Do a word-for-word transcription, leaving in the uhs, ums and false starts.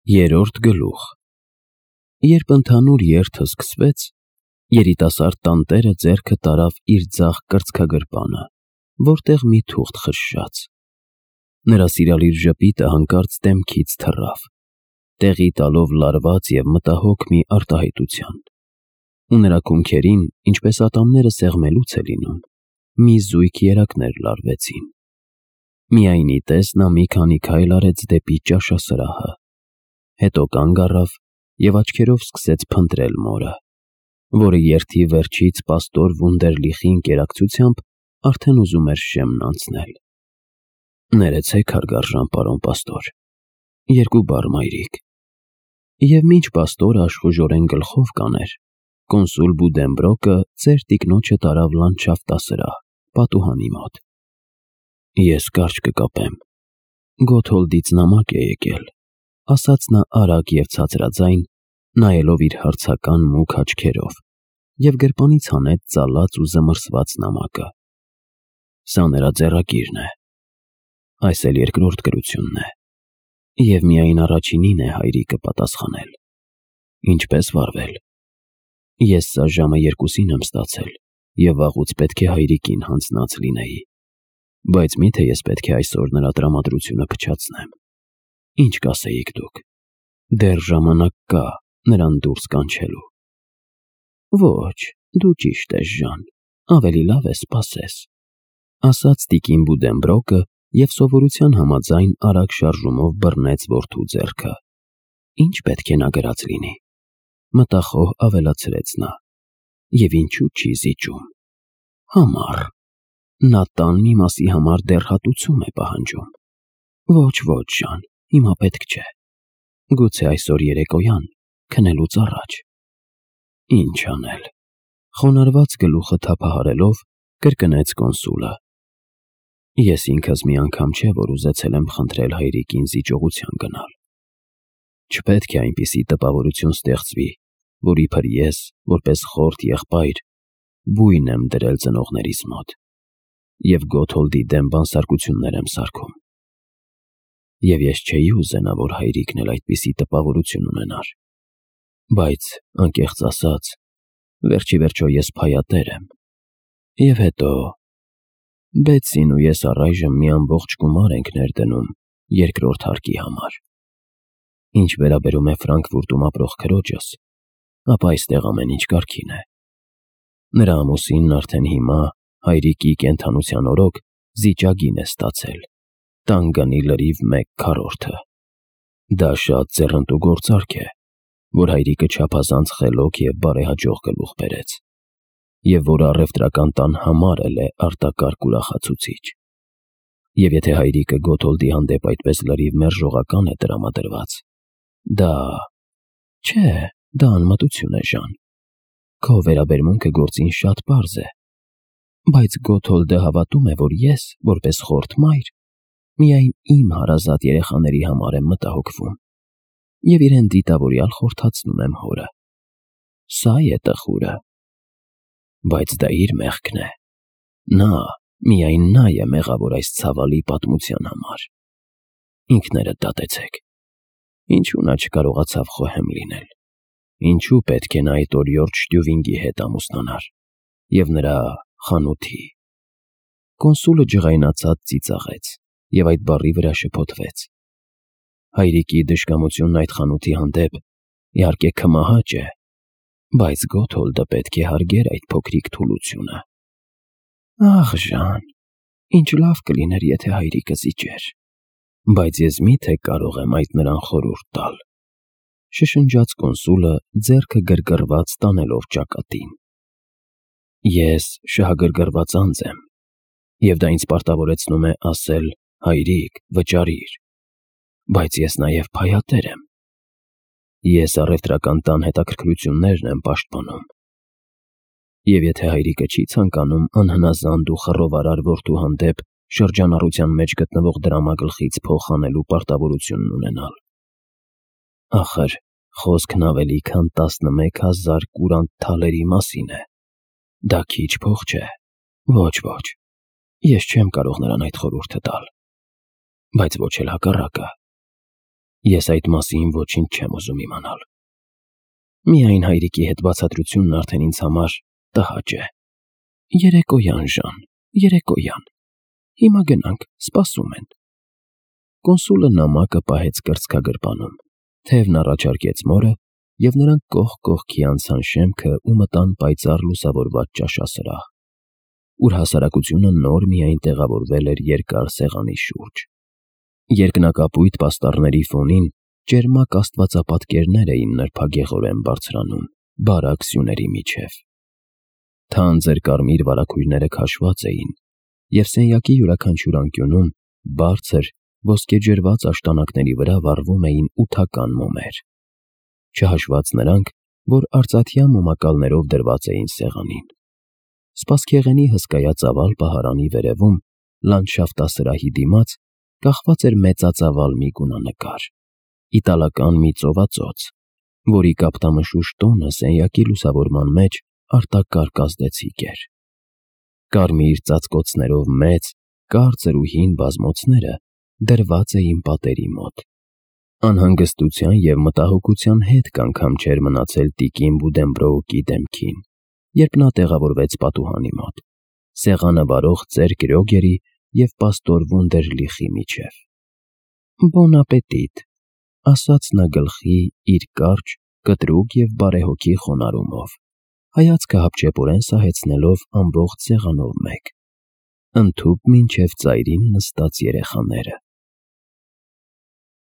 Երրորդ գլուխ։ Երբ ընդհանուր երթը սկսվեց, երիտասարդ տանտերը ձեռքը տարավ իր ձախ կրծքագրպանը, որտեղ մի թուղթ խշշաց։ Նրա սիրալիր ժպիտը հանկարծ դեմքից թռավ, տեղի տալով լարված և մտահոգ մի արտահայտության, ու նրա կունքերին, ինչպես ատամները սեղմելուց է լինում, մի զույգ երակներ լարվեցին։ Միայն ի տես նա մի քանի քայլ արեց դեպի ճաշասրահը, հետո կանգ առավ և աչքերով սկսեց փնտրել մորը, որը երթի վերջից պաստոր Վունդերլիխի ընկերակցությամբ արդեն ուզում էր շեմն անցնել։ Ներեցեք, հարգարժան պարոն պաստոր, երկու բառ, մայրիկ։ Եվ մինչ պաստորը աշխուժորեն գլխով կաներ, կոնսուլ Բուդենբրոկը ծեր տիկնոջը տարավ լանդշաֆտասրահ, պատուհանի մոտ։ Ես կարճ կկապեմ, Գոթհոլդից նամակ է եկել, ասաց նա արագ և ցածրաձայն, նայելով իր հարցական մուգ աչքերով, և գրպանից հանեց ծալած ու զմռսված նամակը։ Սա նրա ձեռագիրն է, այս էլ երկրորդ գրությունն է, և միայն առաջինին է հայրիկը պատասխանել։ Ինչպես վարվել։ Ես սա ժամը երկուսին եմ ստացել և վաղուց պետք է հայրիկին հանձնած լինեի, բայց մի՞թե ես պետք է այսօր նրա տրամադրությունը փչացնեմ։ Ինչ կասեիք դուք։ Դեռ ժամանակ կա նրան դուրս կանչելու։ Ոչ, դու ճիշտ ես, Ժան, ավելի լավ է սպասես, ասաց տիկին Բուդենբրոկը և սովորության համաձայն արագ շարժումով բռնեց որդու ձեռքը։ Ինչ պետք է նա գրած լինի, մտախոհ ավելացրեց նա, և ինչու չի զիջում։ Համառ, նա տան մի մասի համար դեռ հատուցում է պահանջում։ Ոչ, ոչ, Ժան, հիմա պետք չէ։ Գուցե այսօր երեկոյան, քնելուց առաջ։ Ինչ անել։ Խոնարհված գլուխը թափահարելով, կրկնեց կոնսուլը։ Ես ինքս մի անգամ չէ, որ ուզեցել եմ խնդրել հայրիկին զիջողության գնալ։ Չպետք է այնպիսի տպավորություն ստեղծվի, որ իբր ես, որպես խորթ եղբայր, բույն եմ դրել ծնողներիս մոտ և Գոթհոլդի դեմ բանսարկություններ եմ սարքում։ Եվ ես չէի ուզենա, որ հայրիկն էլ այդպիսի տպավորություն ունենար։ Բայց, անկեղծ ասած, վերջիվերջո ես փայատեր եմ։ Եվ հետո, Բեցին ու ես առայժմ մի ամբողջ գումար ենք ներդնում երկրորդ հարկի համար։ Ինչ վերաբերում է Ֆրանկֆուրտում ապրող քրոջս, ապա այստեղ ամեն ինչ կարգին է։ Նրա ամուսինն արդեն հիմա, հայրիկի կենդանության օրոք, զիջագին է ստացել, տան գնի լրիվ մեկ քառորդը։ Դա շատ ձեռնտու գործարք է, որ հայրիկը չափազանց խելոք և բարեհաջող գլուխ բերեց, և որը առևտրական տան համար էլ է արտակարգ ուրախացուցիչ։ Եվ եթե հայրիկը Գոթհոլդի հանդեպ այդպես լրիվ մերժողական է տրամադրված, դա… Չէ, դա անմտություն է, Ժան։ Քո վերաբերմունքը գործին շատ պարզ է, բայց Գոթհոլդը հավատում է, որ ես, որպես խորթ մայր, միայն իմ հարազատ երեխաների համար եմ մտահոգվում և իրեն դիտավորյալ խորհրդացնում եմ հորը։ Սա է տխուրը։ Բայց դա իր մեղքն է։ Նա, միայն նա է մեղավոր այս ցավալի պատմության համար։ Ինքներդ դատեցեք։ Ինչու նա չկարողացավ խոհեմ լինել։ Ինչու պետք է նա այդ օրիորդ Շտյուվինգի հետ ամուսնանար և նրա խանութի… Կոնսուլը ջղայնացած ծիծաղեց և այդ բառի վրա շփոթվեց։ Հայրիկի դժկամությունն այդ խանութի հանդեպ, իհարկե, քմահաճ է, բայց Գոթհոլդը պետք է հարգեր այդ փոքրիկ թուլությունը։ Ախ, Ժան, ինչ լավ կլիներ, եթե հայրիկը զիջեր։ Բայց ես մի՞թե կարող եմ այդ նրան խորհուրդ տալ, շշնջաց կոնսուլը, ձեռքը գրգռված տանելով ճակատին։ Ես շահագրգռված անձ եմ, և դա ինձ պարտավորեցնում է ասել հայրիկ, վճարիր, բայց ես նաև փայատեր եմ։ Ես առևտրական տան հետաքրքրություններն եմ պաշտպանում։ Եվ եթե հայրիկը չի ցանկանում անհնազանդ ու խռովարար որդու հանդեպ շրջանառության մեջ գտնվող դրամագլխից փող հանելու պարտավորությունն ունենալ… Ախր, խոսքն ավելի քան տասնմեկ հազար կուրանտ թալերի մասին է։ Դա քիչ փող չէ։ Ոչ, ոչ, ես չեմ կարող նրան այդ խորհուրդը տալ։ Բայց ոչ էլ հակառակը։ Ես այդ մասին ոչինչ չեմ ուզում իմանալ։ Միայն հայրիկի հետ բացատրությունն արդեն ինձ համար տհաճ է։ Երեկոյան, Ժան, երեկոյան։ Հիմա գնանք, սպասում են։ Կոնսուլը նամակը պահեց կրծքագրպանում, թևն առաջարկեց մորը, և նրանք կողք կողքի անցան շեմքը ու մտան պայծառ լուսավորված ճաշասրահ, ուր հասարակությունը նոր միայն տեղավորվել էր երկար սեղանի շուրջ։ Երկնակապույտ պաստառների ֆոնին ճերմակ աստվածապատկերներ էին նրբագեղորեն բարձրանում բարակ սյուների միջև։ Թանձր կարմիր վարագույրները քաշված էին, և սենյակի յուրաքանչյուր անկյունում բարձր, ոսկեջրված աշտանակների վրա վառվում էին ութական մոմեր, չհաշված նրանք, որ արծաթյա մոմակալներով դրված էին սեղանին։ Սպասքեղենի հսկայածավալ պահարանի վերևում, լանդշաֆտասրահի դիմաց, կախված էր մեծածավալ մի գունանկար, իտալական մի ծովածոց, որի կապտամշուշ տոնը սենյակի լուսավորման մեջ արտակարգ ազդեցիկ էր։ Կարմիր ծածկոցներով մեծ, կարծր ու հին բազմոցները դրված էին պատերի մոտ։ Անհանգստության և մտահոգության հետք անգամ չէր մնացել տիկին Բուդենբրոուկի դեմքին, երբ նա տեղավորվեց պատուհանի մոտ, սեղանը վարող ծեր Կրյոգերի և պաստոր Վունդերլիխի միջև։ «Բոն ապետիտ», ասաց նա գլխի իր կարճ, կտրուկ և բարեհոգի խոնարհումով, հայացքը հապճեպորեն սահեցնելով ամբողջ սեղանով մեկ, ընդհուպ մինչև ծայրին նստած երեխաները։